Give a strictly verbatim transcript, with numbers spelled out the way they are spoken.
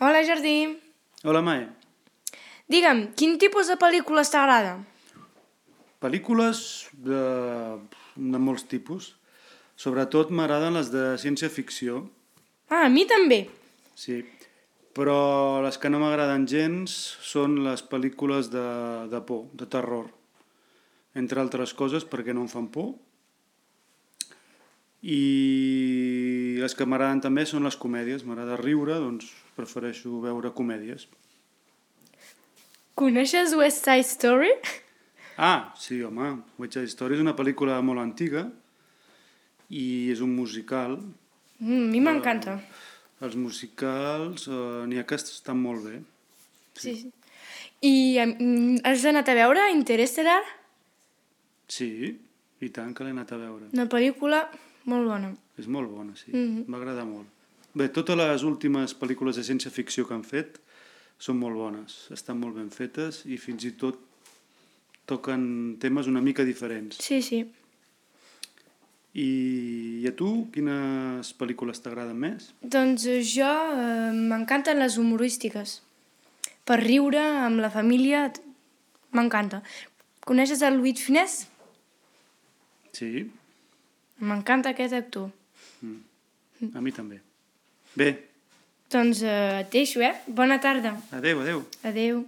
Hola, Jardí. Hola, Mae. Digue'm, quin tipus de pel·lícules t'agrada? Pel·lícules de, de molts tipus. Sobretot m'agraden les de ciència-ficció, Ah, a mi també. sí. Però les que no m'agraden gens són les pel·lícules de, de por, de terror. Entre altres coses perquè no em fan por. I les que m'agraden també són les comèdies. M'agrada riure, doncs prefereixo veure comèdies. Coneixes West Side Story? Ah, sí, home. West Side Story és una pel·lícula molt antiga i és un musical. Mm, a mi m'encanta. Els musicals eh, n'hi ha que estan molt bé. Sí. sí. I mm, has anat a veure Interstellar? Sí, i tant que l'he anat a veure. Una pel·lícula molt bona. És molt bona, sí. Mhm. M'agrada molt. Bé, totes les últimes pel·lícules de ciència-ficció que han fet són molt bones. Estan molt ben fetes i fins i tot toquen temes una mica diferents. Sí, sí. I, I a tu, quines pel·lícules t'agraden més? Doncs eh, jo eh, m'encanten les humorístiques. Per riure amb la família t- m'encanta. Coneixes el Louis de Funès? Sí, M'encanta aquest actor. a mi també. Bé, Doncs eh, et deixo, eh? Bona tarda. adeu, adeu. Adeu.